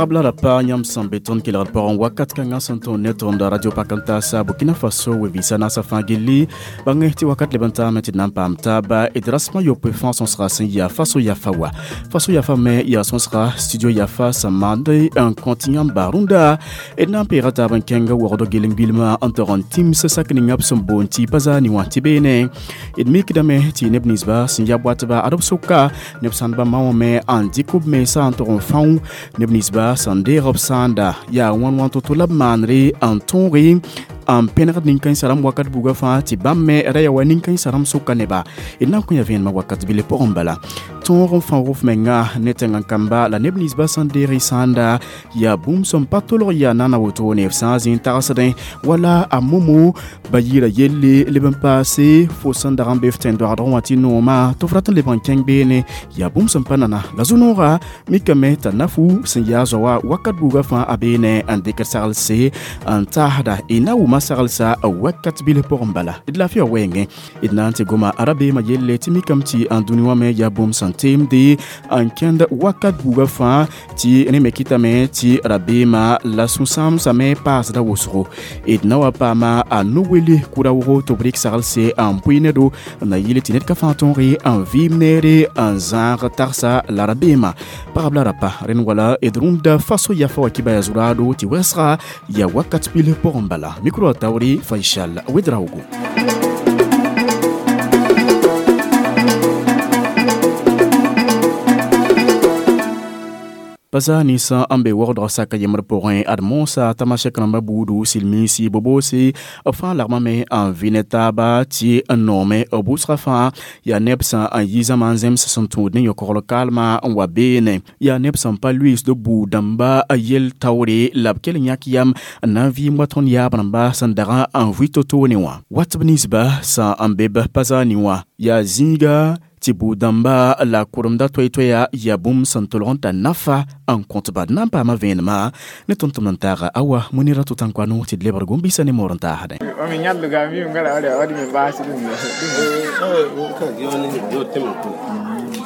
Pagã la rapa yãmb sẽn be tõnd kelgd pʋgẽ wakat kãngã sẽn tõnd ne tõnd Radio Pakantasa Burkina Faso we-vɩɩsã naasã fãa gilli bãng tɩ wakat leb n taame tɩ d na n paam taaba d rasmã yopoe fãa sõsga sẽn yaa Faso Yafa wa Faso Yafa me yaa sõsga studio Yafa sẽn maand n kõ tɩ yãmba rũndã d na n peega taab n kẽng waoogd gelen-bilmã n tog n tĩms sak ninga b sẽn boond tɩ pa zaani wã tɩ beene d mikdame tɩ neb ninsba sẽn ya boatba ad b sʋka neb sãndba ma wã me n dɩk b mensã n tog n fão neb ninsba sẽn deeg b sãanda yaa wãn-wãn to-to la b maanre n tõoge n pẽnegd nin-kãensã rãmb wakat buga fãa tɩ bãmb me ra yaa wa nin-kãensã rãmb sʋka neba d na n kõ ya vẽenemã wakat bile pʋgẽ bala tõog n fãoog f menga ne tẽng-n-kamba la neb ninsba sẽn deeg y sãanda yaa bũmb sẽn pa tolg yaa nana wotone f sã n zĩ n tagsdẽ wala a momo ba yɩɩra yelle leb n paase fo sẽn dag n be f tẽn-doagdg wã tɩ noomã tɩ f rat n lebg n kẽng beene yaa bũmb sẽn pa nana la zu-nooga mikame t'a nafu sẽn yaa zoa wakat buuga fãa a beene n dɩkd saglse n taasda y na wʋma saglsa wakat bil pʋgẽ bala d laafɩa wɛɛngẽ d na n tɩ goma rabeemã yelle tɩ mikame tɩ n dũni wã me yaa bũmb sẽn teemde n kẽnd wakat buuga fãa tɩ rẽ me kɩtame tɩ rabeemã la sũ-sãamsame paasda wʋsgo d na wa paama a no-wele kʋra-wʋgo tɩ b rɩk saglse n pʋɩ nedo n na yɩl tɩ ned ka fãa tõoge n vɩɩm neere n zãag tagsa la rabeemã pagb la rapa rẽnd wala d rũndã Faso Yafa wa kibaya zuraado tɩ wɛsga yaa wakat bil pʋgẽ bala micro a taoore Faisal Ouedraogo. Pa zaa ninsã n be waoogdg saka yembr pʋgẽ ad moosã tamasɛk rãmbã buudu silmiinsi boboose b fãa lagmame n vɩ ne taaba tɩ n noome b wʋsgã fãa yaa neb sã n yi zãma n zems sẽn tũud ne yõkogl kaalmã n wa beene yaa neb sẽn pa luiisd buud-dãmba yel taoore la b kell n yãk yam n na n vɩɩm wa tõnd yaab rãmba sẽn dag n vʋɩ to-toone wã wat b ninsba sã n be b pa zaani wã yaa zĩiga tɩ buud-dãmba la kʋremda toɛ-toɛya yaa bũmb sẽn tolg n tar nafa n kõtba d na n paama vẽenemã ne tõnd-tʋmd n taaga awa Munira Tʋtãnkoano tɩ d lebg gom-biisã ne moor n taasdẽ.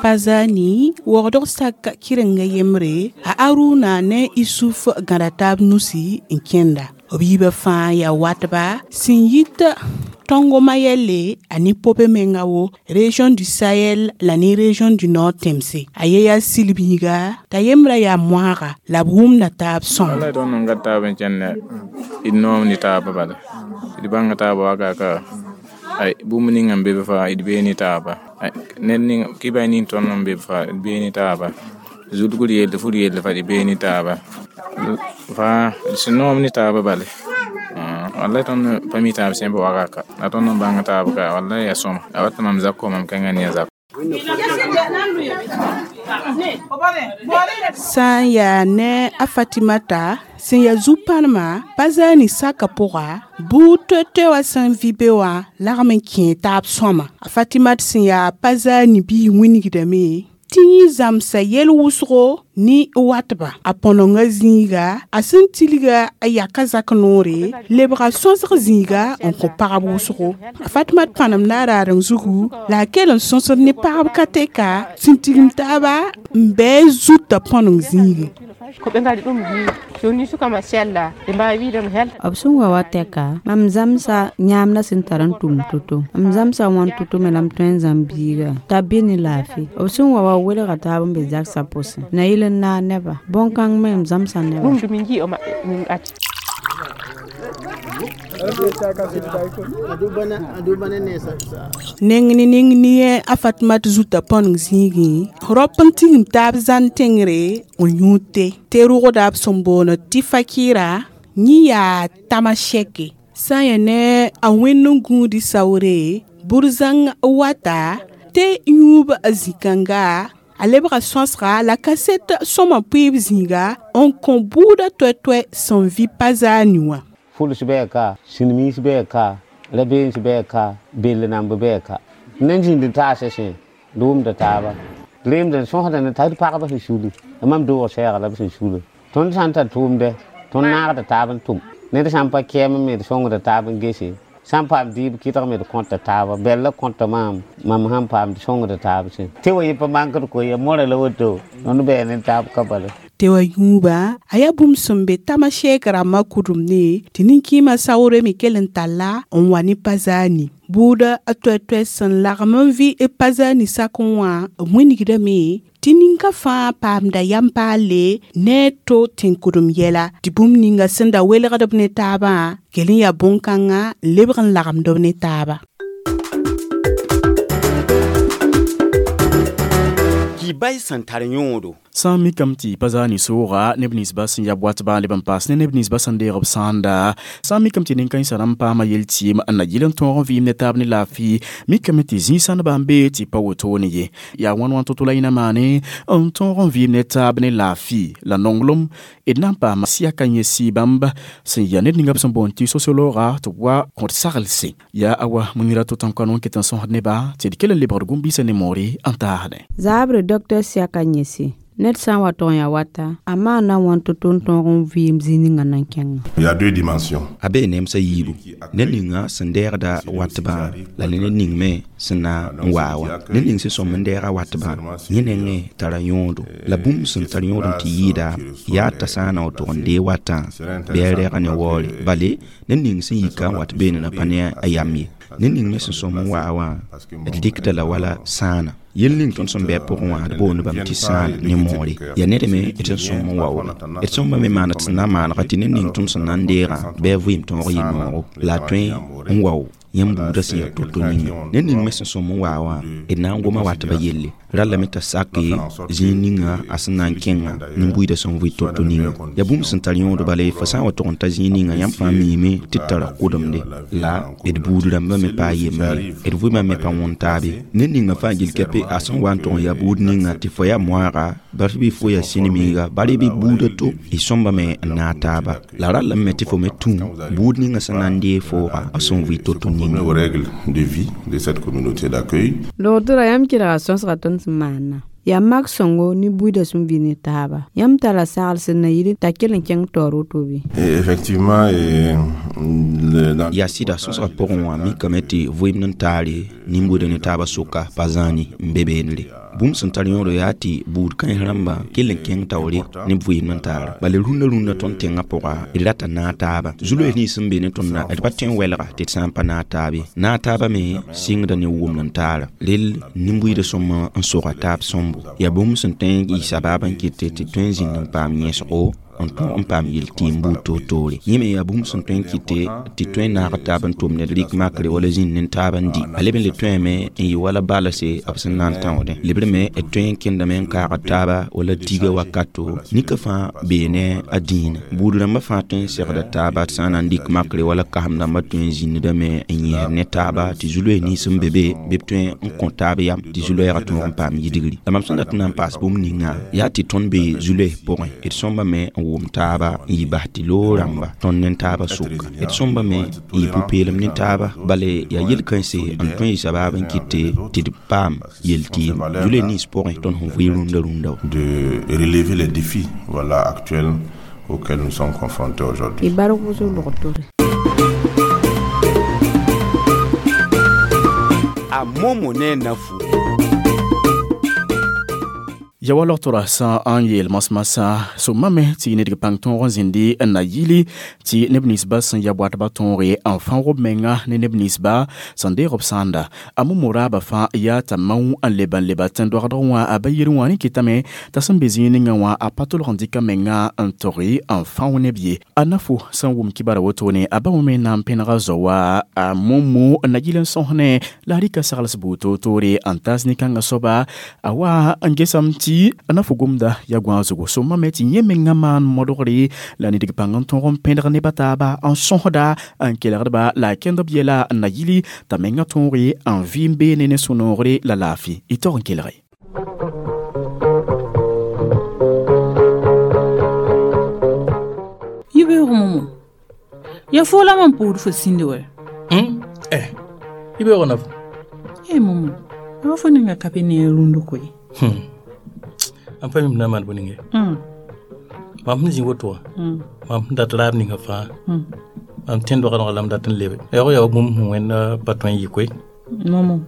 Pazani waoogdg sak kɩrenga yembre a Aruna ne Isuf gãda taab nusi n kẽnda b yiibã fãa yaa watba sẽn yit Tongo Mayele ani pope menga wo région du Sahel la ni région du Nord temse a ye ya silbiga ta yemra ya moaga la b wʋmda taab sõm wala tõnd n ka taab n kẽnda d noom ne taaba bala d bãnga taaba wakaka ay bũmb ninga n be b faa d bee ne taaba ned ning kɩ ning tõnd n be b faa d bee ne taaba zulgr yelle fur yelle fa d bee ne taaba faa d sẽn noom ne taaba bale wallahi tõnd pa mi taab sẽn be wakaka la tõnd n bãng taab ka wallahi ya sõma a wat mam zak mam kẽnga ne a zak sã n yaa ne a Fatimata sẽn yaa zu-pãnema pa zaani saka pʋga buud toɛ-toɛ wã sẽn vɩ be wã lagm n kẽe taab sõma a Fatimat sẽn yaa pa zaani biig wĩnigdame tɩ yẽ zãmsa yel wʋsgo ne watba a põnenga zĩiga a sẽn tilga a yaka zak noore lebga sõsg zĩiga n kõ pagb wʋsgo a Fatimat pãnem na a raadeng zugu la a kell n sõsd ne pagb ka tɛka sẽn tigim taaba n bɩ zutã põneng zĩigẽ. Ko ɓe ngari ɗum joni suka ma sella ɓe mbawi wiidemo helta b sẽn wa wa tɛka mam zãmsa yãamda sẽn tar n tʋm to-to m zãmsa wãn to-to me la m tõe n zãmb biiga t'a be ne laafɩ b sẽn wa wa welga taab n be zagsã pʋsẽ na yɩl n naag neba bõn-kãng me m zãmsa neba ɗum du min jii o maɓɓe min acci Neng ne neng ne a Fatimat zuta põneng zĩigẽ rap n tigim taab zãn tẽngre n yũud tɩ rʋgda b sẽn boond tɩ fakira yẽ yaa tamasɛke sã n yaa ne a wẽnd n gũudi saoore bur-zãng wata tɩ yũub zĩ-kãnga a lebga sõsga la kaset sõma pʋɩɩb zĩiga n kõ buudã toɛ-toɛ sẽn vɩ pa zaani wã. Fuls bɛɛ ka silmiis bɛɛ ka rabeens bɛɛ ka bell namb bɛɛ ka nan zĩnd taasa sẽ d wʋmda taaba reemd n sõsda ne t'a d pagba sẽn suli mam doog sɛɛga la b sẽn sula tõnd sã n tar tʋʋmdɛ tõnd naagda taab n tʋm ned sã n pa kɛɛm me d sõngda taab n gese sã n paam dɩɩb kɩtg me d kõta taaba bɛl la kõta maam mam sãn paam d sõngda taab sẽ tɩ wa yɩ pa mankd ko ya mora la woto tõnd bɛɛ ne taab ka bala. toɛ-toɛ wã yũubã a yaa bũmb sẽn be tamasɛɛk rãmbã kʋdemne tɩ nin-kɩɩmã saoore me kell n talla n wa ne pa zaani buuda a toɛ-toɛ sẽn lagm n vɩ b pa zaani sakẽ wã b wĩnigdame tɩ ninka fãa paamda yam paalle ne a to tẽn-kʋdem yɛla tɩ bũmb ninga sẽn da welgd b ne taabã kell n yaa bõn-kãngã n lebg n lagmd b ne taaba. Kibay sẽn tar yõodo. Sã n mikame tɩ pa zaani sooga neb ninsba sẽn ya watba n leb n paas ne neb ninsba sẽn deeg b sãanda. Sã n mikame tɩ nin-kãensã rãmb paama yel-tɩɩm n na yɩl n tõog n vɩɩm ne taab ne laafɩ, mikame tɩ zĩig-sãndbã n bee tɩ pa wotone ye. Yaa wãn wãn to-to la yẽna maane n tõog n vɩɩm ne taab ne laafɩ la nonglem d na n paama sɩyaka yẽ sɩ bãmb sẽn yaa ned ninga b sẽn boond tɩ sociologa tɩ b wa kõt sagelse. Yaa awa munira to-tãn-kano n ket n sõsd nebã tɩ d kell n lebgd gũm-biisã ne moore n taasdẽ. Zaabre Dr Siaka Nyesi ned sã n wa tog n yaa wata a maana wãn to-to n tõog n vɩɩm zĩig ninga nan kẽngã. Il y a deux dimensions. A bee nemsã yiibu ned ninga sẽn deegda watbã la ne ned ning me sẽn na n waa wã. Ned ning sẽn sõm n deega watbã yẽ nengẽ tara yõodo la bũmb sẽn tar yõod n tɩ yɩɩda yaa t'a sã n na w tog n dee watã bɩ a rɛga ne waoore bale ned ning sẽn yika n wat beene na pa ne a yam ye. Ned ning me sẽn sõm n waa wã d dɩkda la wala sãana. Yel ning tõnd sẽn bɩ a pʋgẽ wã d boond bãmb tɩ sãana ne moore yaa ned me d sẽn sõm n waoole d sõmba me maana tɩ sẽn na n maanega tɩ ned ning tõnd sẽn na n deegã bɩ a vɩɩm tõog yɩ noogo la a tõe n wao yãmb buudã sẽn yaa to-to ninga. Ned ning me sẽn sõm n waa wã d na n goma watbã yelle ra lame t'a sake zĩig ninga a sẽn na n kẽnga nin-buiidã sẽn vɩ to-to ninga. Yaa bũmb sẽn tar yõod bala fo sã n wa tog n ta zĩig ninga yãmb fãa miime tɩ d tara kʋdemde la d buud rãmbã me pa a yembre d vɩmã me pa wõn taabe. Ned ninga fãa gill kɛpe a sẽn wa n tog n yaa buud ninga tɩ fo yaa moaaga bari bɩ fo yaa sĩnimiiga bari bɩ buudã to y sõmba me n naag taaba la ra lame tɩ fo me tũ buud ninga sẽn na n dee fooga a sẽn vɩ to-to ninga. Aux règles de vie de cette communauté d'accueil. Logdra yãmb kelga sõsga tõnd sẽn maana. Yaa mak sõngo ne buiidã sẽn vɩ ne taaba. Yãmb tara sagl sẽn na yɩl t'a kell n kẽng taoor woto bɩ? Effectivement, yaa sɩda sõsgã pʋgẽ wã mikame tɩ vɩɩm n taare nin-buidã ne taabã sʋka pa zãani n be beenre. Bũmb sẽn tar yõodo yaa tɩ buud kãens rãmbã kell n kẽng taoore ne vɩɩm n taara. Bala rũndã rũndã tõnd tẽngã pʋga d rata naag taaba. Zu-loees nins sẽn be ne tõnda d pa tõe n wɛlga tɩ d sã n pa naag taabe. Naag taabã me sɩngda ne wʋmd n taara. Rel nin-buiidã sõma n soga taab sõmbo. Yaa bũmb sẽn tõe n yɩ sabaab n kɩt tɩ tõe n zĩnd n paam yẽsgo n tõog n paam yel-tɩɩm buud toor-toore. Yẽ me yaa bũmb sẽn tõe n kɩte tɩ tõe n naag taab n tʋm ned rɩk makre wala zĩnd ne taab n di. A leb n le tõeme n yɩ wala balse b sẽn na n tãoodẽ. Lebr me d tõe n kẽndame n kaagd taaba wala diga wakato nika fãa bee ne a dĩinã. Buud rãmbã fãa tõe n segda taaba tɩ sã n na n dɩk makre wala kasem rãmbã tõe n zĩndame n yẽsd ne taaba tɩ zu-loees nins sẽn be be bɩ b tõe n kõ taab yam tɩ zu-loɛɛgã tõog n paam yidgri. La mam sẽn dat n na n paas bũmb ninga yaa tɩ tõnd be zu-loees pʋgẽ d sõmba me n wʋm taaba n yɩ bas tɩ loog rãmba tõnd ne taabã sʋka. D sõmba me n yɩ pʋ-peelem ne taaba bala yaa yel-kãense n tõe n yɩ sabaab n kɩte tɩ d paam yel-tɩɩm zu-loees nins pʋgẽ tõnd sẽn vɩ rũndã rũndã wã. De relever les défis, voilà, actuels auxquels nous sommes confrontés aujourd'hui. Y barg wʋsg logtore. A momo ne na fu. Ya wa logtora sã n yeel masmasã sõmame tɩ ned pãng tõog n zĩndi n na yili tɩ neb ninsba sẽn ya watbã tõoge n fãoog b menga ne neb ninsba sẽn deeg b sãanda. A momo raabã fãa yaa t'a mao n leba n leba tẽn-doagdg wã a ba yir wã rẽ kɩtame t'a sẽn be zĩig ninga wã a pa tolg n dɩka menga n tog n fãoog neb ye. A nafo sẽn wʋm kibara wotone a ba wã me na n pẽnega zao wã a momo n na yɩl n sõs ne la a rɩka sagls buud toor-toore n taas nin-kãngã soaba a wa n gesame tɩ a na fo gomda ya gõa zugu sõma me tɩ yẽ menga maan modgre la ned pãng n tõog n pẽdg nebã taaba n sõsda n kelgdba la a kẽnd b yɛla n na yili t'a menga tõoge n vɩɩm beene ne sũ-noogre la laafɩ y tog n kelge. Yibeoogo momo ya fo la mam pʋʋd fo sĩndi wɛ? Eh, yibeoogo na fo. E momo a ba fo ninga ka be ne rũnd koe. Am pa mim na maan bõe ninge. Mam sẽn zĩ woto wã mam sẽn dat raab ninga fãa mam tẽn doagdgã la m dat n lebe yaoog yaa bũmb sẽn wẽnd pa tõe n yɩ koe. Momo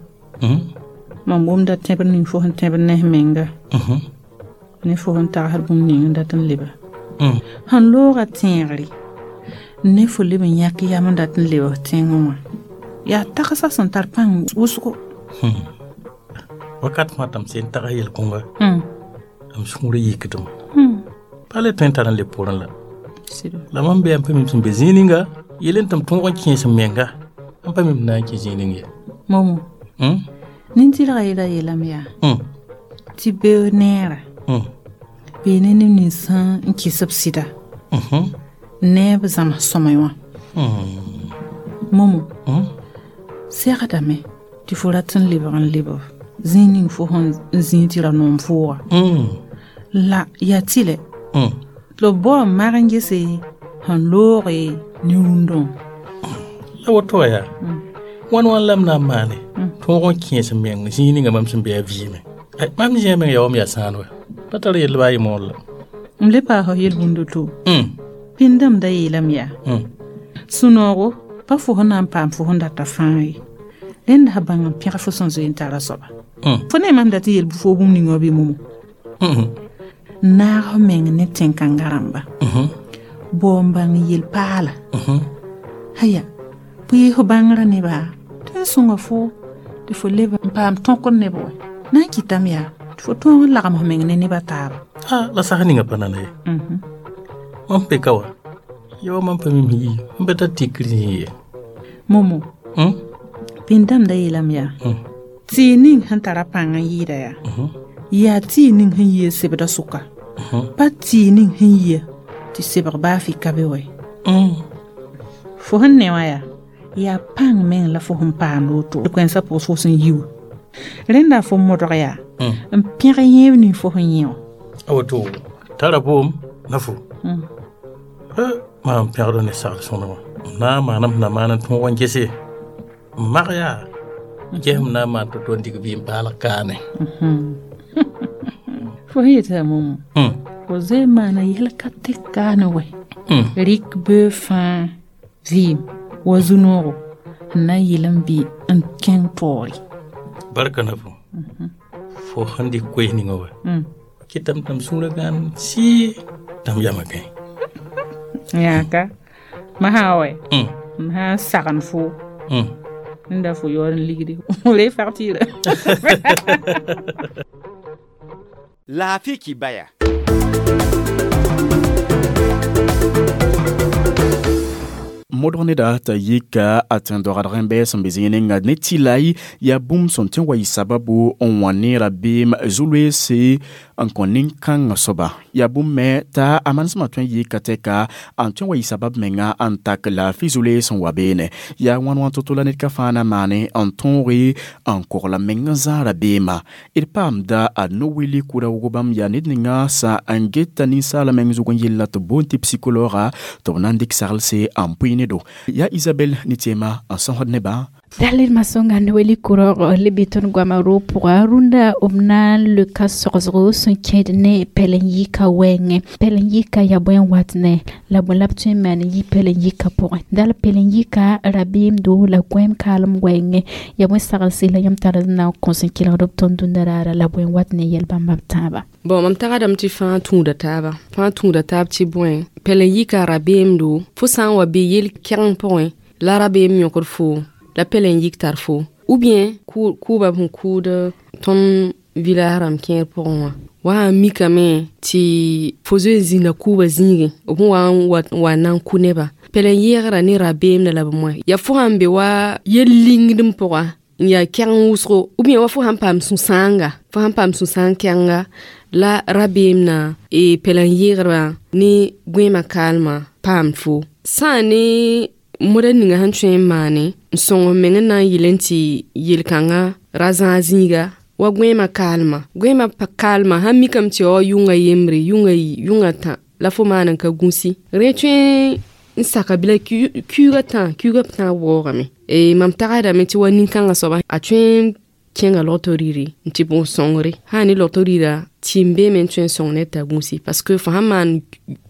mam wʋmda tẽbr ning fo sẽn tẽbr ne f menga. Ne fo sẽn tagsd bũmb ning n dat n leba sẽn looga tẽegre ne fo leb n yãk yam n dat n leb f tẽngẽ wã yaa tagsã sẽn tar pãng wʋsgo wakat fãa tɩ m sẽn tags yel-kõnga m sũurã yikdem pa le tõe n tar n leb poorẽ la la mam be n pa mim sẽn be zĩig ninga yel n tɩ m tõog n kẽes m menga n pa mim na n kẽ zĩig ning ye momo nin-tɩrgã yela yeelame yaa tɩ beoog neera bee ne neb nins sẽn n kɩs b sɩda ne b zãms sõme wã momo segdame tɩ fo rat n lebg n leb zĩig ning fo sẽn zĩig tɩ ra noom fooga la yaa tɩlɛ tɩ b bao n mag n gese sẽn looge ne rũndã la woto wã yaa wãn wãn la m na n maane tõog n kẽes m meng zĩig ninga mam sẽn be a vɩɩme mam zĩigã meng yaa wa m yaa sãan wa pa tar yell baa yɩ moor la m le paas f yel-bũnd to pĩndame da yeelame yaa sũ-noogo pa fo sẽn na n paam fo sẽn data fãa ye rẽnd sã bãng n pẽg fo sẽn zoe n tara soaba fo ne mam dat n yel fo bũmb ninga wã bɩ momo naag f meng ne tẽn-kãngã rãmba bao n bãng yel-paala aya bʋɩ f bãngrã neba tɩ n sõnga fo tɩ fo leb n paam tõkr neb wɛ na n kɩtame yaa tɩ fo tõog n lagem f meng ne nebã taaba la sas ninga pa nana ye mam be ka wa ya wa mam pa mim yi m pa tar tikr zĩig ye momo pĩndame da yeelame yaa tɩɩg ning sẽn tara pãng n yɩɩda yaa yaa tɩɩg ning sẽn yia sebdã sʋka pa tɩɩg ning sẽn yia tɩ sebg baa fɩ ka be wɛ fo sẽn ne wã yaa yaa pãng meng la fo sẽn paamd woto kẽnsã pʋgs fo sẽn yi wã rẽnda fo modg yaa n pẽg yẽeb ning fo sẽn yẽ wã a woto tara boom na fo maam pẽgd ne sagl sõnema m na n maanam sẽn na maan n tõog n gese n mag yaa ges m na n maan to-to n dɩk vɩɩm paalg kaane fo sẽn yetɩ momo fo zoe n maana yɛl ka tɩk kaane wɛ rɩk bee fãa vɩɩm wa zu-noogo n na n yɩl n bɩ n kẽng taoore barka na fo fo sẽn dɩk koees ninga wa kɩtame tɩ m sũurã gãan sɩɩ tɩ m yama kẽ yãaka masã wɛ m sã n sagn fo n da fo yaood n ligde re facture Laafɩ kibaya. Modg neda t'a yika a tẽn-doagd rẽmbe sẽn be zĩig ninga ne tɩlay yaa bũmb sẽn tõe n wa yɩ sababu n wã ne rabeem zu-loeese n kõ nin-kãngã soaba yaa bũmb me t'a a manesmã tõe n yika tɛka n tõe n wa yɩ sabab menga n tak laafɩ zu-loees n wa beene yaa wãn wãn to-to la ned ka fãa na maane n tõoge n kogla meng n zãag rabeemã d paamda a no-wili kura wʋgo bãmb yaa ned ninga sã n geta ninsaala meng zug n yella tɩ boond tɩ psikolooga tɩ b na n dɩk saglse n pʋɩ ne do yaa Isabel ne tɩɛma n sõsd nebã Dalil masonga ne weli kurog le biton goama ro pʋga rũndã b na n leka sogsgo sẽn kẽed ne pɛlen yika wɛɛngẽ pɛlen yika yaa bõe n wat ne la bõe la b tõe n maan n yi pɛlen yika pʋgẽ dal pɛlen yika rabeemdo la gõeem kaalem wɛɛngẽ yaa bõe saglse la yãmb tar n na n kõs n kelgd b tõnd dũnda raara la bõe n wat ne yɛl bãmba b tãabã Bon, mam tagadame tɩ fãa tũuda taaba fãa tũuda taab tɩ bõe pɛlen yika rabeemdo fo sã n wa be yel-kɛgeng pʋgẽ la rabeem yõkd fo la pɛlen yik tar fo ou bien kʋʋba b sẽn kʋʋd tõnd village rãmb kẽer pʋgẽ wã wa n mikame tɩ fo zoe n zĩnda kʋʋba zĩigẽ b sẽn wa n wa na n kʋ neba pɛlen yɛɛgra ne rabeemda la b moẽ yaa fo sãn be wa yel-lingdem pʋga n yaa kɛgeng wʋsgo ou bien wa fo sãn paam sũ-sãanga fo sãn paam sũ-sãang kɛgenga la rabeem na pɛlen yɛɛgrã ne gõeemã kaalmã paam fo sã ne moda ninga sẽn tõe n maane n sõng m meng n na n yɩl n tɩ yel-kãngã ra zãag zĩiga wa gõeemã kaalmã gõeemã kaalmã sãn mikame tɩ ya wa yʋnga yembre yʋnga tã la fo maan n ka gũsi rẽ tõe n saka bila kuuga tã waoogame mam tagsdame tɩ wa nin-kãngã soaba a tõe n kẽnga logto rɩɩre n tɩ bõo sõngre sã ne logto rɩɩra tɩ n beeme n tõe n sõng ned t'a gũsi parce que fo sãn maan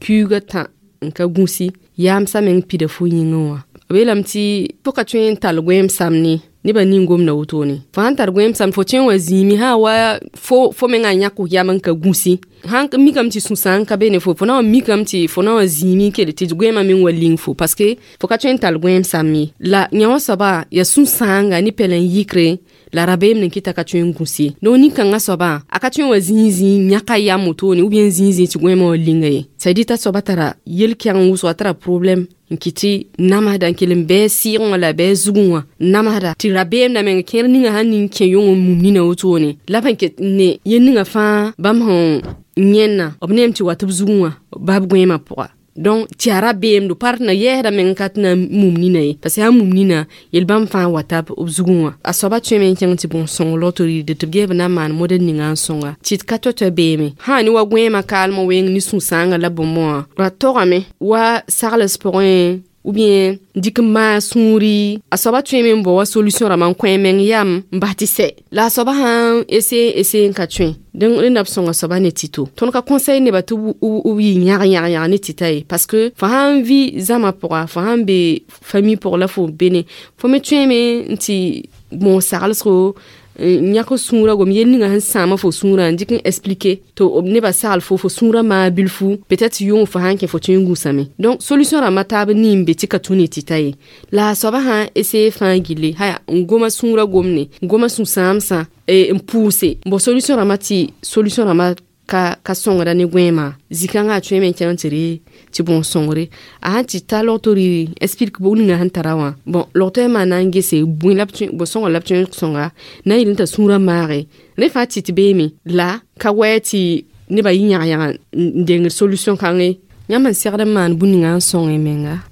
kuuga tã n ka gũsi yaamsã meng pida fo yĩngẽ wã B yeelame tɩ fo ka tõe n tall goẽem samne nebã ning-gomda wotone. Fo sãn tar goẽem sam fo tõe n wa zĩimi sã wa fo mengã yãk yam n ka gũsi. Sãn mikame tɩ sũ-sãang ka be ne fo, fo na n mikame tɩ fo na n wa zĩimi n kell tɩ goẽemã meng wa ling fo parce que fo ka tõe n tall goẽem sam ye. La yã wã soaba yaa sũ-sãanga ne pɛlɛn-yikre la rabeem n kɩta ka tõe n gũs ye. Donc nin-kãngã soabã a ka tõe n wa zĩig zĩig yãka yam wotone ou bien zĩig zĩig tɩ goẽemã wa linga ye. Ça veut dire t'a soaba tara yel-kɛgeng wʋsgo, a tara problème n kɩ tɩ namsda n kell n bɩ sɩɩgẽ wã la bɩ zugẽ wã namsda tɩ rabeem la meng kẽer ninga sãn ning kẽ yõng n mum nina wotone la b sẽn ket ne yel ninga fãa bãmb sẽn yẽnna b neem tɩ wa tɩ b zugẽ wã bab goẽemã pʋga. Donc tɩ yaa rabeemdo pa tɩ na yɛɛsda meng ka tɩ na n mum nina ye parce que sã n mum nina yel-bãmb fãa wata b zugẽ wã. A soaba tõeme n kẽng tɩ bõn-sõng logto rɩɩde tɩ b ges b na n maan model ninga n sõnga tɩ d ka toa-toa beeme. Sã ne wa goẽemã kaalmã weng ne sũ-sãangã la bõmb wã ra togame wa sagls pʋgẽ ou bien dɩk n maa sũuri. A soaba tõeme n bao wa solution rãmba n kõ a meng yam n bas tɩ sɛ. La a soaba sãn ese n ka tõe rẽnda b sõnga soaba ne tɩto. Tõnd ka conseil nebã tɩ b yɩ yãg yãg yãg ne tɩta ye parce que fo sãn vɩ zãma pʋga, fo sãn be famille pʋg la fo be ne, fo me tõeme n tɩ moog saglsgo yãk sũurã gom yel ninga sẽn sãama fo sũurã n dɩk n expliquer tɩ nebã sagl fo fo sũurã maa bilfu peut-être yʋng fo sãn kẽ fo tõe n gũsame. Donc solution rãmbã taab nin be tɩ ka tũ ne tɩta ye. La a soaba sãn ese fãa gilli haya n goma sũurã gomne n goma sũ-sãamsã n pʋʋse bon solution rãmbã tɩ solution rãmbã ka sõngda ne goẽemã zĩ-kãngã a tõeme n kẽng tɩ re tɩ bõn-sõngre a sãn tɩ ta logto rɩ explique bʋg ninga sẽn tara wã bon logto yaa maan na n gese bõe la b sõnga la b tõe n sõnga na n yeel t'a sũurã maage rẽ fãa tɩ tɩ beeme la ka wɛ tɩ nebã yɩ yãg-yãga n dengd solution kãngẽ. Yãmb n segd n maan bũn ninga n sõng menga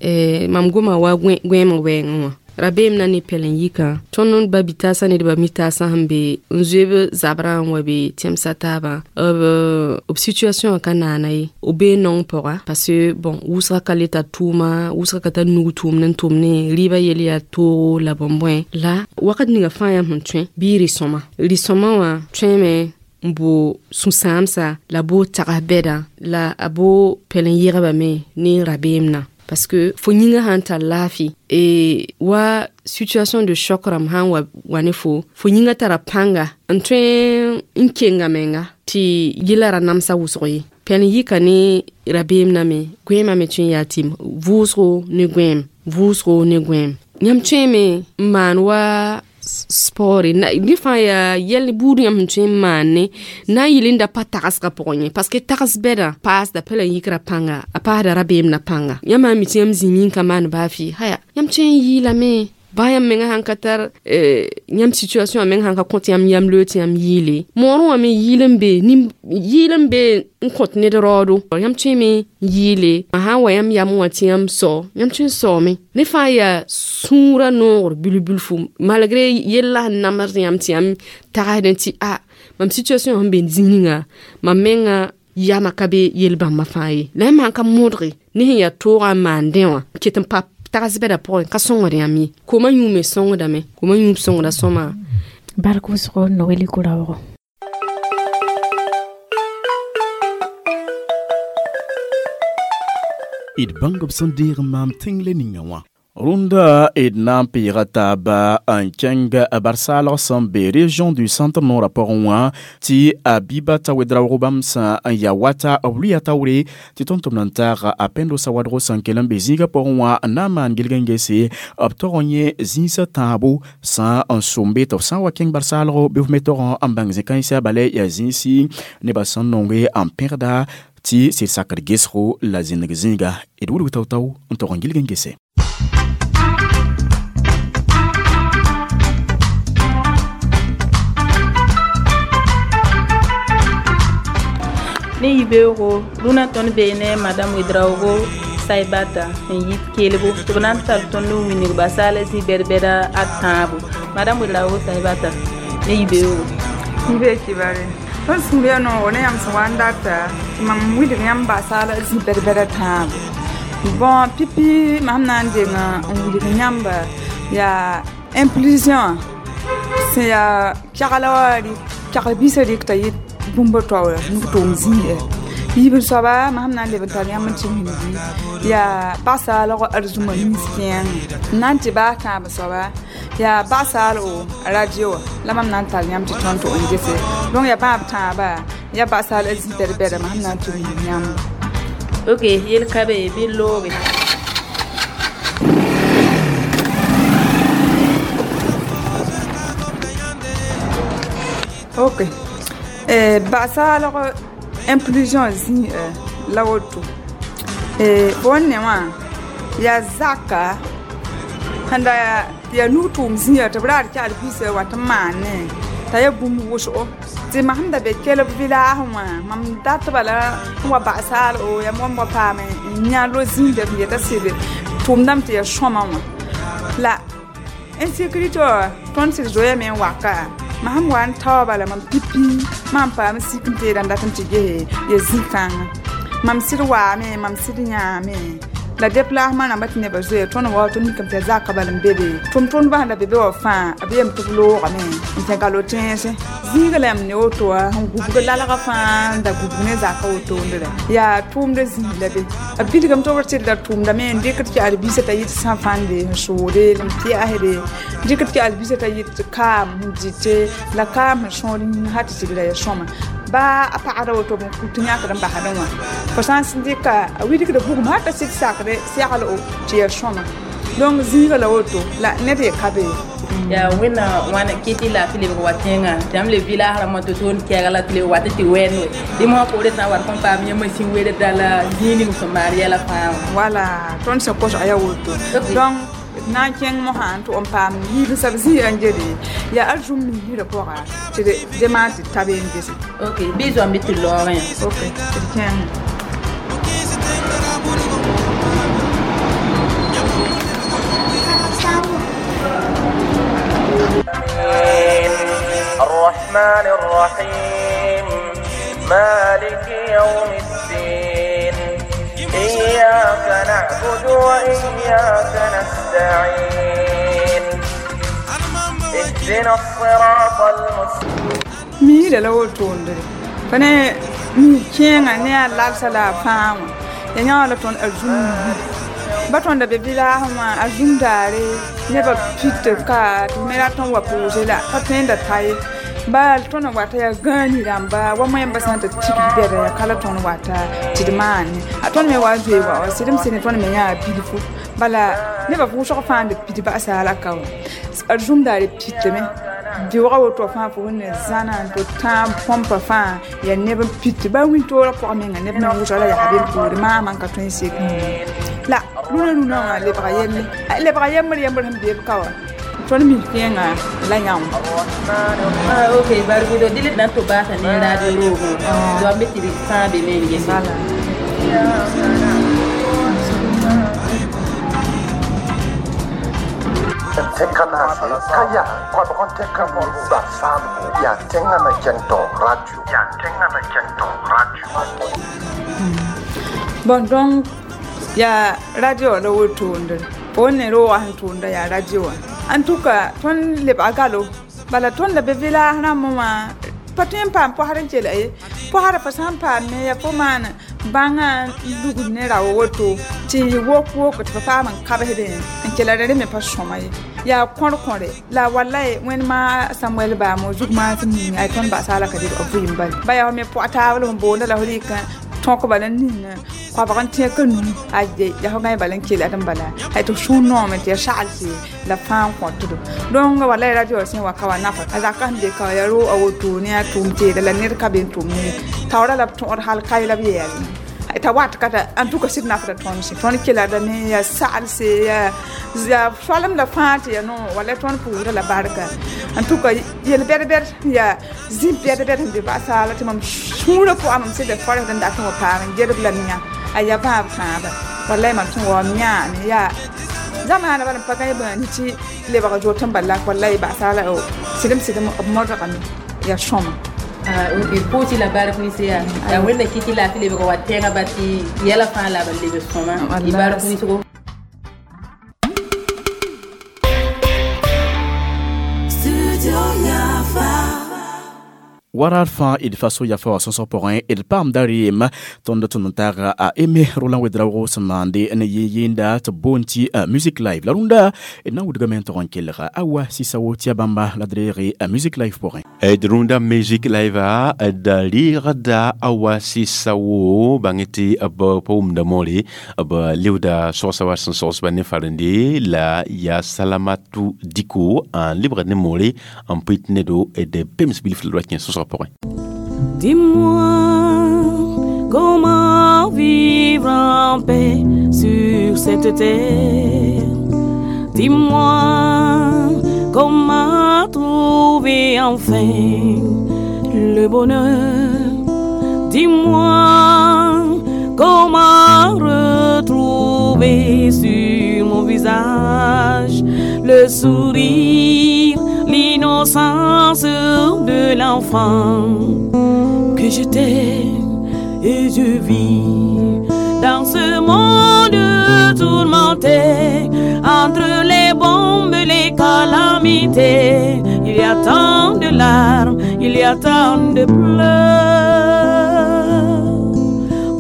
mam goma wa goẽemã wɛɛngẽ wã rabeem na ne pɛlɛn-yikã tõnd ba bi-taasã nedbã mi-taasã sẽn be n zoe b zabrã n wa be tẽmsã taabã b situation wã ka naana ye b bee nong pʋga parce que bon wʋsga ka le tar tʋʋma wʋsga ka tar nug tʋʋmd n tʋmne rɩɩbã yel yaa toogo la bõn-bõe la wakat ninga fãa yãmb sẽn tõe bɩ rɩ-sõma rɩ-sõma wã tõeme n bo sũ-sãamsa la bo tags bɛda la a bo pɛlɛn-yɛgbã me ne rabeem na parce que fo yĩngã sãn tar laafɩ wa situation de choc rãmb sãn wa ne fo fo yĩngã tara pãnga n tõe n kenga menga tɩ yɛla ra namsa wʋsg ye. Pɛlɛn-yɩka ne rabeem na me goẽemã me tõe n yaa tɩ vʋʋsgo ne goẽem vʋʋsgo ne goẽem. Yãmb tõeme n maan wa sport ne fãa yaa yɛl buud yãmb sẽn tõe n maan ne na n yɩl n da pa tagsgã pʋgẽ ye parce que tags bɛdã paasda pɛlɛn-yikra pãnga a paasda rabeem na pãnga. Yãmb sã n mi tɩ yãmb zĩmi n ka maan baa fɩ haya yãmb tõe n yɩɩlame baa yãmb menga sãn ka tar yãmb situation wã meng sãn ka kõt yãmb yam loe tɩ yãmb yɩɩle moorẽ wã me yɩɩl n be yɩɩl n be n kõt ned raoodo yãmb tõeme n yɩɩle a sãn wa yãmb yam wã tɩ yãmb sao yãmb tõe n saoome ne fãa yaa sũurã noogr bilf-bilfu malgré yella sẽn namsd yãmb tɩ yãmb tagsdẽ tɩ a mam situation sẽn be zĩig ninga mam menga yama ka be yel-bãmbã fãa ye la yãmb sãn ka modge ne sẽn yaa toogã n maandẽ wã ket n pa tags bɛda pʋgẽ ka sõngd yãmb ye koma yũume sõngdame koma yũub sõngda sõma. Bark wʋsgo Noeli Koraogo. D bãng b sẽn deeg n maam tẽng le ninga wã. Rũndã d na n peega taaba n kẽng barsaalg sẽn be région du centre nord pʋgẽ wã tɩ Abibata Ouedraogo bãmb sã n yaa wata b lʋɩa taoore tɩ tõnd tʋm n taag a Pendo Sawadgo sẽn kell n be zĩigã pʋgẽ wã n na n maan gilg n gese b tog n yẽ zĩisã tãabo sã n sõmbe tɩ b sã n wa kẽng barsaalgo bɩ f me tog n bãng zĩ-kãensã bala yaa zĩisi nebã sẽn nonge n pẽgda tɩ sɩd sakd gesgo la zĩneg zĩiga d wilg tao-tao n tog n gilg n gese. Ne yibeoogo rũnã tõnd bee ne madame Ouedraogo Saibata n yit kelbo tɩ b na n tar tõnd n wilg basaala zĩ bɛd-bɛda a tãabo. Madame Ouedraogo Saibata ne yibeoogo. Yibe kibare tõnd sũur yaa noogo ne yãmb sẽn wa n data tɩ mam wilg yãmb basaala zĩ bɛd-bɛda tãabo. Bon pipi mam na n deng n wilg yãmba yaa inclusion sẽn yaa kɛgla wã kɛgl biisã rɩkta yɩ bũmb taoora nug tʋʋm zĩigã Yiib soaba mam sẽn na n leb n tar yãmb n tɩ wilgi yaa basaalg arzũma nins kẽenge n na n tɩ baa kãab soaba yaa basaal o radio wã la mam na n tar yãmb tɩ tõnd tɩ n gese donc yaa bãab tãaba yaa basaal a zĩ bɛd-bɛda mam sẽn na n tɩ wilg yãmb. Ok, yel ka be bɩ looge. Ok, basaalg inclusion zĩ la woto fo ne wã yaa zaka sẽn da yaa nug-tʋʋm zĩiga tɩ b raad kɛgd bisa wa tɩ n maan ne t'a yaa bũmb wʋsgo tɩ mam sẽn da be kelb village wã mam datba la n wa basaal o yaa wãm wa paam n yã lo-zĩnda b yeta sɩd tʋʋmdame tɩ yaa sõma wã la insécurité wã tõnd sɩd zoeeyame n waka mam sẽn wa n taoa bala mam pipi mam paam sik n teeda n dat n tɩ gese ya zĩ-kãngã mam sɩd waame mam sɩd yãame la déplacement rãmbã tɩ nebã zoeya tõnd wa tɩ mikame tɩ yaa zaka bal n be be tʋm-tʋmdbã sẽn da be be wã fãa b yem tɩ b loogame n tẽ galo tẽesẽ zĩiga la yãmb ne woto wã sẽn gubg lalgã fãa n da gubg ne zaka wotondrã yaa tʋʋmdã zĩig la be b bilgame tɩ b tɩrda tʋʋmdame n dɩkd tɩ albisã t'a yɩt sã-fãnde n soode n pɩasde dɩkd tɩ albisã t'a yɩt kaam n dɩte la kaam sẽn sõor yĩng ha tɩ sɩdra ya sõma baa a pagda woto b n kut yãkd n basdẽ wã fo sã n dɩka a wilgda bugum ha t'a sɩd sakre segl o tɩ ya sõma donc zĩiga la woto la ned ye ka be yaa wẽnna wãna kɩ tɩ laafɩ lebg wa tẽngã tɩ yãmb le village rãmbã tɩ tõnd kɛɛga la tɩ leb wa tɩ tɩ wɛɛnd we dẽ mosã poorẽ sã n wat kõn paam yãmb sẽn welda la zĩig ning sẽn maan yɛla fãa wã wala tõnd sẽn kosg yaa woto donc na n kẽng mosã n tʋg n paam yiib n sab zĩiga n gede yaa arzũm miisrã pʋga tɩ dẽ maan tɩ ta be n gese. Ok, bɩ zoam bɩ tɩ loogẽ. Ok, tɩ d kẽng. الرحمن الرحيم مالك يوم الدين إياك نعبد وإياك نستعين اهدنا الصراط المستقيم miida la wotondre fa ne mi kẽengã ne a lalsa la a fãa wã ya yã la tõnd arzũm ba tõnd da be village wã arzũm daare nebã pit ka tɩ me rat n wa pʋʋse la pa tõe n da ta ye bal tõnd n wata yaa gãani rãmba wa moẽmbã sã n tɩ tigd bɛda yaa ka la tõnd wata tɩ d maane a tõnd me wa n zoe wa sɩdem sɩd ne tõnd me yãa bilfu bala nebã vʋʋsg fãa n d pid basaala ka wã arzũm daare pitame beoogã woto fãa fo ne zãna n tɩ tãab põmpa fãa yaa neb n pit ba wĩntoorã pʋgã menga neb meng wʋsg la yaa be n poore maamã n ka tõe n sek la rũnã rũnã wã lebga yelle lebga yembr yembr sẽn beeb ka wã tõnd mi kẽengã la yã wã. Ok, bargudo dɩl d na n tɩ baasa ne radio roogẽ zoam bɩ tɩ d fãa be me n gese. Tẽn-kanaase ka yaa koabg n tẽka basaalgo yaa tẽngã na kẽng taoog radio yaa tẽngã na kẽng taoog radio. Bon, donc yaa radio la wotondre fo ne roogã sẽn tʋʋmda yaa radio wã en tout cas tõnd lebga galo bala tõnd la be village rãmbã wã pa tõe n paam posd n kela ye posda fa sã n paam me yaa fo maan bãngã n lugd ne rao woto tɩ wok wok tɩ fa paam n kabsdẽ n kela rẽ me pa sõma ye yaa kõr-kõre la walai wẽnd ma Samuel baamo zug maas n ning ay tõnd basaala ka dɩ b vɩɩm bal ba yaa me pʋg taab la sẽn boonda la f rɩk tõk bala n ning koabg n tẽk n nu aye yaa fo gãe bala n kela d n bala ay tɩ sũur noome tɩ ya saglse la fãa n kõtdo donc walai radio sẽn wa ka wa nafa a zaka sẽn be ka wa yaa ro a woto ne a tʋʋm teeda la ned ka be n tʋm ne taoora la b tõod hal kae la b yɛɛl ta wat kata en tout cas sɩd nafda tõnd sẽ tõnd keladame yaa saglse yaa soalem la fãa tɩ yaa no wala tõnd pʋʋsda la barka en tout cas yel bɛd-bɛd yaa zĩ bɛd-bɛd sẽn be basaala tɩ mam sũurã pʋgã mam sɩda fɔrẽsd n dat n wa paam n gedb la yã a yaa bãab tãaba walai mam sẽn wa m yãame yaa zamaana bala n pa gã bãani tɩ lebg zot n bala walai basaala sɩdem sɩdem b modgame yaa sõma. Ok, pʋʋsɩ la bark nins yaa yaa wẽnda kɩ tɩ laafɩ lebg wa tẽngã ba tɩ yɛla fãa la b leb sõma y bark ninsgo. Warar fãa d faso yafa wã sõsg pʋgẽ d paamda reem tõnd tʋm n taaga a Aimé Roland Ouédraogo sẽn maande ne yɩ-yɩɩnda tɩ b boond tɩ Music Live. La rũndã d na n wilgame n tog n kelga Awa Sisawo tɩ ya bãmba la d reege Music Live pʋgẽ. D rũndã Music Live d reegda Awa Sisawo bãng tɩ b pa wʋmda moore b leooda sogsa wa sẽn sogsba ne farende la yaa Salamatu Diko n lebgd ne moore n pʋɩt nedo d pems bilf la d wa kẽ sõsgã pʋgẽ. Dis-moi comment vivre en paix sur cette terre. Dis-moi comment trouver enfin le bonheur. Dis-moi comment retrouver sur mon visage le sourire, l'innocence de l'enfant que j'étais. Et je vis dans ce monde tourmenté, entre les bombes, les calamités. Il y a tant de larmes, il y a tant de pleurs.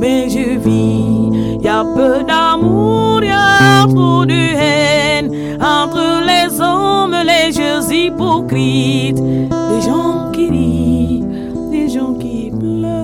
Mais je vis, il y a peu d'amour, il y a trop de haine entre les hommes, les jeux hypocrites, des gens qui rient, des gens qui pleurent.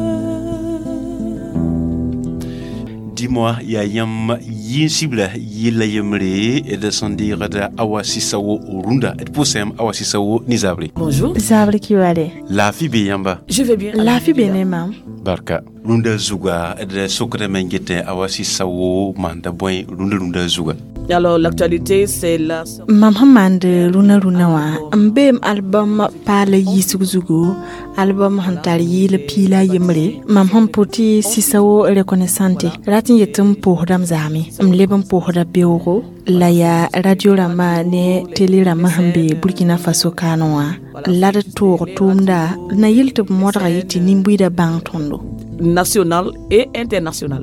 Dis-moi, yaa yãmb yĩn-sibla yella yembre d sẽn deegd Awa Sisawo rũndã d pʋsẽm Awa Sisawo ne zabre. Bonjour. Zabre Kiwale. Laafɩ be yãmba? Je vais bien. Laafɩ be ne mam. Barka. Rũndã zuga d sokdame n getẽ Awa Sisawo maanda bõe rũndã rũndã zuga? Alors l'actualité, c'est la Mam sẽn maand rũnã rũnã wã n beem album paala yiisg zugu, album sẽn tar yɩɩl piila a yembre. Mam sẽn pʋ tɩ Sisawo reconnaissante rat n yet n pʋʋsdame zaame m leb n pʋʋsda beoogo la yaa radio rãmbã ne télé rãmbã sẽn be Burkina Faso kaanẽ wã la d toog tʋʋmda na yel tɩ b modga yetɩ tɩ nin-buiidã bãng tõndo. National et international.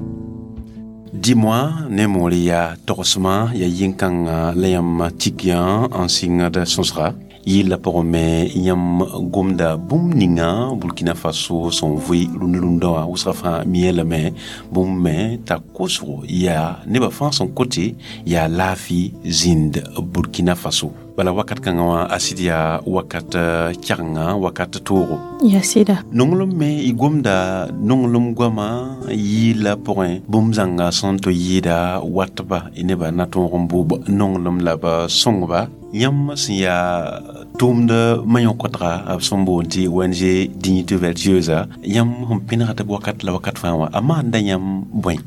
Dis-moi ne moore yaa togsmã yaa yĩn-kãngã la yãmb tik yã n sɩngd sõsga yɩlla pʋgẽ me yãmb gomda bũmb ninga Burkina Faso sẽn vʋɩ rũndã rũndã wã wʋsga fãa mia lame bũmb me t'a kosgo yaa nebã fãa sẽn kote yaa laafɩ zĩnd Burkina Faso. Bala wakat kãngã wã a sɩd yaa wakat kɛgenga wakat toogo. Ya sɩda. Nonglem me y gomda nonglem goama yɩɩla pʋgẽ bũmb zãnga sẽn tɩ yɩɩda watba y nebã na tõog n bʋʋb nonglem la b sõngba yãmb sẽn yaa tʋʋmd ma-yõkotga b sẽn boond tɩ ONG Dignité Vertueuse yãmb sẽn pẽnegd b wakat la wakat fãa wã a maanda yãmb bõe?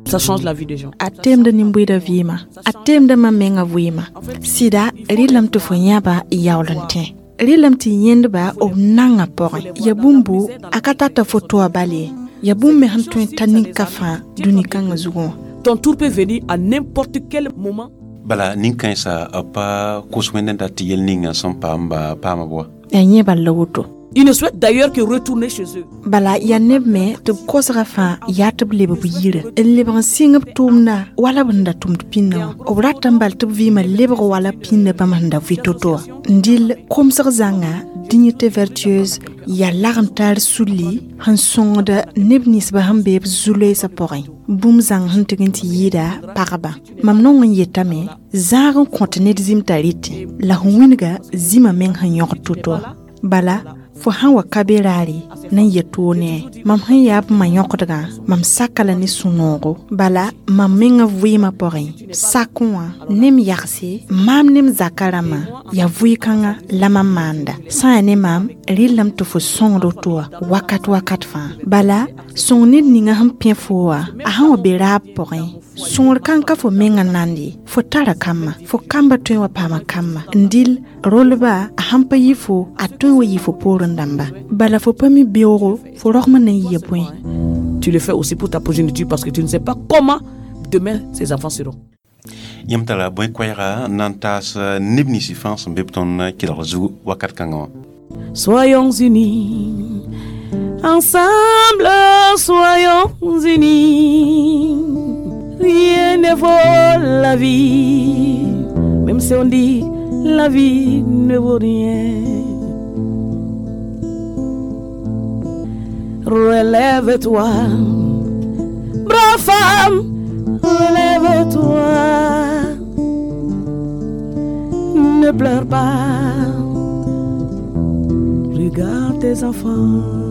Ça change la vie des gens. A temda nin-buiidã vɩɩmã, a temda mam menga vɩɩmã. Sɩda rɩlame tɩ fo yãba yaool n tẽ, rɩlame tɩ yẽndba b nangã pʋgẽ. Ya bũmbu a ka tata fo toa bal ye, ya bũmb me sẽn tõe n ta nin-ka fãa dũni-kãngã zugẽ wã. Ton tour peut venir à n'importe quel moment. Bala nin-kãensã b pa kos wẽnd n dat tɩ yel ninga sẽn paamba paama bʋa. Yaa yẽ bal la woto. Ils ne souhaitent d'ailleurs que retourner chez eux. Bala yaa neb me tɩ b kosgã fãa yaa tɩ b leb b yire n lebg n sɩng b tʋʋmda wala b sẽn da tʋmd pĩndã wã. B rata n bal tɩ b vɩɩmã lebg wala pĩndã bãmb sẽn da vɩ to-to wã. N dɩl komsg zãnga Dignité Vertueuse yaa lagem taar sulli sẽn sõngd neb ninsbã sẽn be b zu-loeesã pʋgẽ. Bũmb zãng sẽn tɩg n tɩ yɩɩda pagba. Mam nong n yetame zãag n kõt ned zĩm t'a rɩtẽ la f wĩnga zĩmã meng sẽn yõgd to-to wã. Bala fo sãn wa ka be raare na n yet too ne mam sẽn yaa b ma yõkdgã mam saka la ne sũ-noogo. Bala mam mengã vɩɩmã pʋgẽ sakẽ wã ne m yagse maam ne m zaka rãmbã yaa vʋɩ-kãngã la mam maanda. Sã yaa ne maam rɩllame tɩ fo sõngd to wã wakat wakat fãa. Bala sõng ned ninga sẽn pẽ fo wã a sãn wa be raab pʋgẽ sõngr kãng ka fo menga nand ye, fo tara kambã, fo kamba tõe n wa paama kambã. N dɩl rolba a sãn pa yɩ fo a tõe n wa yɩ fo poorẽ dãmba. Bala fo pa mi beoogo fo rogmã na n yɩa bõe. Tu le fais aussi pour ta progéniture parce que tu ne sais pas comment demain ces enfants seront. Yãmb tara bõe koɛɛga n na n taas neb nins fãa sẽn be b tõnd kelg zug wakat kãngã wã? Soyons unis, ensemble, soyons unis. Rien ne vaut la vie, même si on dit la vie ne vaut rien. Relève-toi. Brave femme, relève-toi. Ne pleure pas. Regarde tes enfants.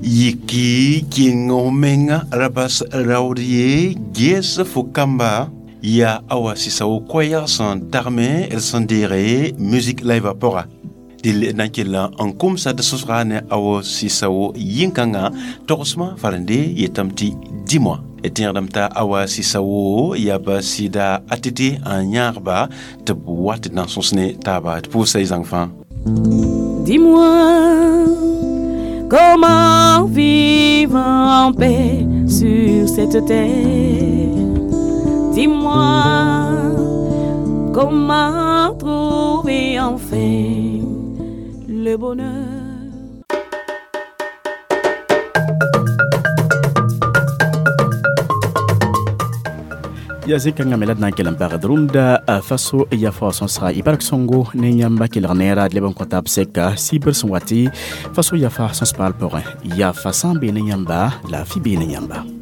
Yiki kẽng f menga ra bas raood ye ges fo kamba ya awa Sisao koɛɛg sẽn tagme d sẽn deege musique live pʋga dɩl na n kell n kʋmsa d sõsga ne awa Sisao yĩn-kãngã togsmã farende yetame tɩ dis-moi tẽegdame t'a awa Sisao yaa ba sɩda ATT n yãagba tɩ b wat d na n sõs ne taaba d pʋʋsa y zãng fãa. Dis-moi comment vivre en paix sur cette terre. Dis-moi comment trouver enfin le bonheur. Ya zĩn-kãngã me la d na n kell n pagd rũndã faso ya fao sõsga y bark sõngo ne yãmba kelg neera d leb n kõta b sɛka sibr sẽn wa tɩ faso yafa sõs paal pʋgẽ yafa sã n bee ne yãmba laafɩ bee ne yãmba.